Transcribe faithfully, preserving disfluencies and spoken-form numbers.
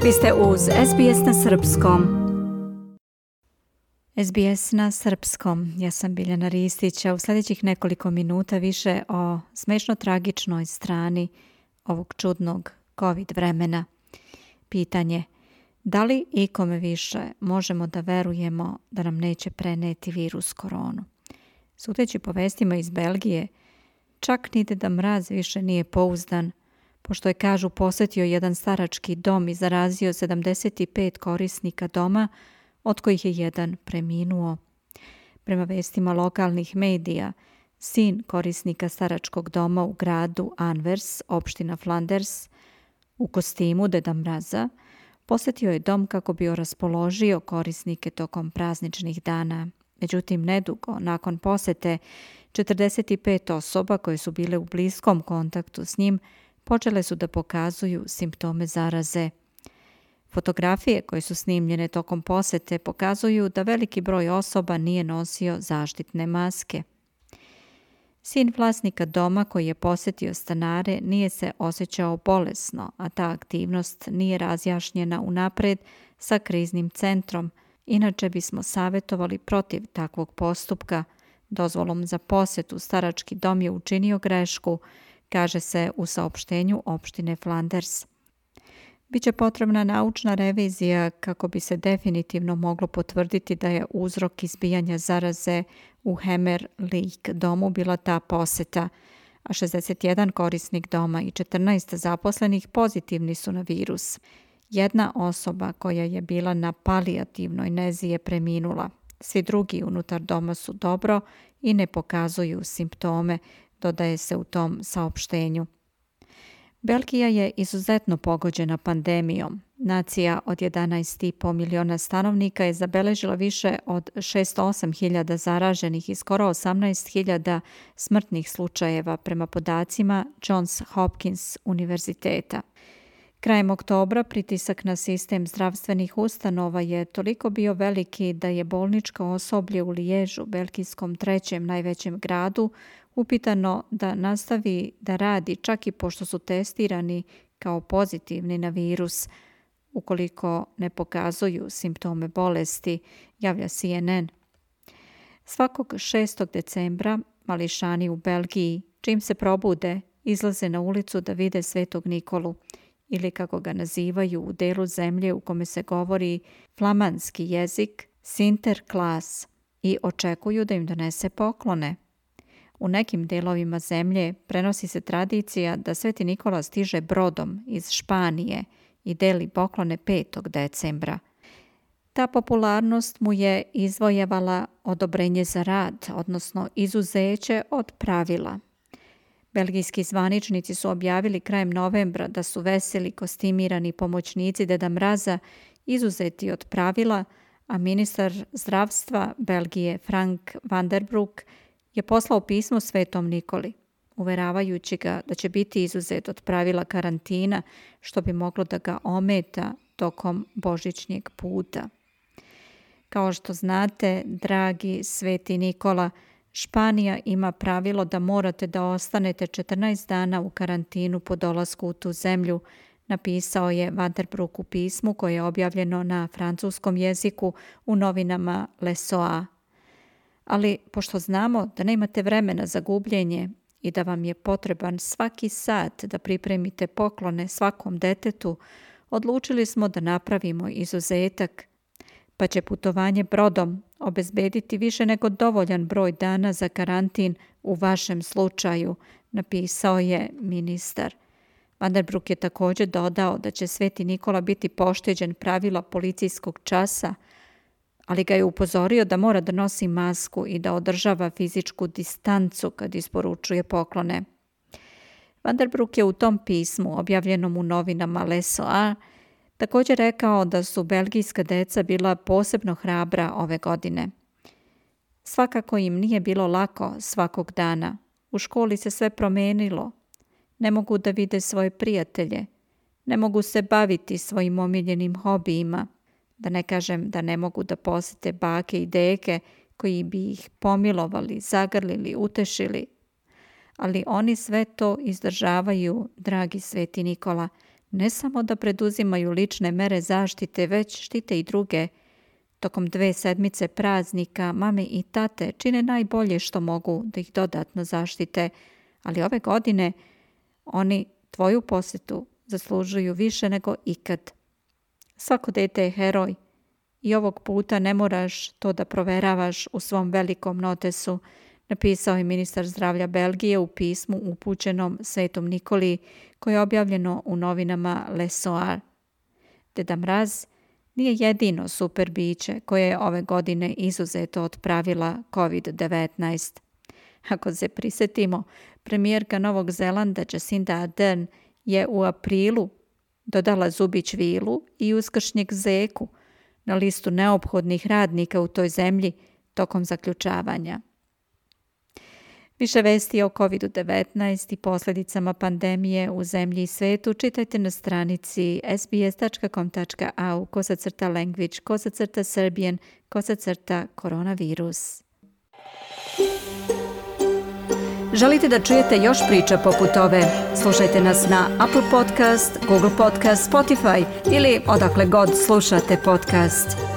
Vi ste uz S B S na srpskom. S B S na srpskom. Ja sam Biljana Ristić, a u sljedećih nekoliko minuta više o smešno tragičnoj strani ovog čudnog COVID vremena. Pitanje: da li ikome više možemo da verujemo da nam neće preneti virus koronu? Sudeći po vestima iz Belgije, čak ni Deda Mraz više nije pouzdan, pošto je, kažu, posjetio jedan starački dom i zarazio sedamdeset pet korisnika doma, od kojih je jedan preminuo. Prema vestima lokalnih medija, sin korisnika staračkog doma u gradu Anvers, opština Flanders, u kostimu Deda Mraza, posjetio je dom kako bi raspoložio korisnike tokom prazničnih dana. Međutim, nedugo nakon posjete, četrdeset pet osoba koje su bile u bliskom kontaktu s njim počele su da pokazuju simptome zaraze. Fotografije koje su snimljene tokom posjete pokazuju da veliki broj osoba nije nosio zaštitne maske. Sin vlasnika doma koji je posjetio stanare nije se osjećao bolesno, a ta aktivnost nije razjašnjena unapred sa kriznim centrom. Inače bismo savjetovali protiv takvog postupka. Dozvolom za posjetu starački dom je učinio grešku, kaže se u saopštenju opštine Flanders. Biće potrebna naučna revizija kako bi se definitivno moglo potvrditi da je uzrok izbijanja zaraze u Hemer Lake domu bila ta posjeta, a šezdeset jedan korisnik doma i četrnaest zaposlenih pozitivni su na virus. Jedna osoba koja je bila na palijativnoj nezi je preminula. Svi drugi unutar doma su dobro i ne pokazuju simptome, dodaje se u tom saopštenju. Belgija je izuzetno pogođena pandemijom. Nacija od jedanaest i po miliona stanovnika je zabeležila više od šezdeset osam hiljada zaraženih i skoro osamnaest hiljada smrtnih slučajeva prema podacima Johns Hopkins univerziteta. Krajem oktobra pritisak na sistem zdravstvenih ustanova je toliko bio veliki da je bolničko osoblje u Liježu, belgijskom trećem najvećem gradu, upitano da nastavi da radi čak i pošto su testirani kao pozitivni na virus. Ukoliko ne pokazuju simptome bolesti, javlja C N N. Svakog šestog decembra mališani u Belgiji, čim se probude, izlaze na ulicu da vide Svetog Nikolu, ili kako ga nazivaju u delu zemlje u kome se govori flamanski jezik, Sinterklaas, i očekuju da im donese poklone. U nekim delovima zemlje prenosi se tradicija da Sveti Nikola stiže brodom iz Španije i deli poklone petog decembra. Ta popularnost mu je izvojevala odobrenje za rad, odnosno izuzeće od pravila. Belgijski zvaničnici su objavili krajem novembra da su veseli kostimirani pomoćnici Deda Mraza izuzeti od pravila, a ministar zdravstva Belgije Frank van der Broek je poslao pismo Svetom Nikoli, uveravajući ga da će biti izuzet od pravila karantina, što bi moglo da ga ometa tokom božićnjeg puta. Kao što znate, dragi Sveti Nikola, Španija ima pravilo da morate da ostanete četrnaest dana u karantinu po dolasku u tu zemlju, napisao je Van der Broek u pismu koje je objavljeno na francuskom jeziku u novinama Le Soir. Ali pošto znamo da nemate vremena za gubljenje i da vam je potreban svaki sat da pripremite poklone svakom detetu, odlučili smo da napravimo izuzetak, pa će putovanje brodom obezbediti više nego dovoljan broj dana za karantin u vašem slučaju, napisao je ministar. Van der Broek je također dodao da će Sveti Nikola biti pošteđen pravila policijskog časa, ali ga je upozorio da mora da nosi masku i da održava fizičku distancu kad isporučuje poklone. Van der Broek je u tom pismu, objavljenom u novinama Le Soir, također rekao da su belgijska deca bila posebno hrabra ove godine. Svakako im nije bilo lako svakog dana. U školi se sve promenilo. Ne mogu da vide svoje prijatelje. Ne mogu se baviti svojim omiljenim hobijima. Da ne kažem da ne mogu da posete bake i deke koji bi ih pomilovali, zagrlili, utešili. Ali oni sve to izdržavaju, dragi Sveti Nikola, ne samo da preduzimaju lične mere zaštite, već štite i druge. Tokom dve sedmice praznika mame i tate čine najbolje što mogu da ih dodatno zaštite, ali ove godine oni tvoju posjetu zaslužuju više nego ikad. Svako dete je heroj i ovog puta ne moraš to da proveravaš u svom velikom notesu, napisao je ministar zdravlja Belgije u pismu upućenom Svetom Nikoli koje je objavljeno u novinama Le Soir. Deda Mraz nije jedino super biće koje je ove godine izuzeto od pravila kovid devetnaest. Ako se prisjetimo, premijerka Novog Zelanda Jacinda Ardern je u aprilu dodala zubić vilu i uskršnjeg zeku na listu neophodnih radnika u toj zemlji tokom zaključavanja. Više vesti o kovid devetnaest i posljedicama pandemije u zemlji i svetu čitajte na stranici sbs.com.au kosacrta language kosacrta serbian kosacrta koronavirus. Želite da čujete još priča poput ove? Slušajte nas na Apple Podcast, Google Podcast, Spotify ili odakle god slušate podcast.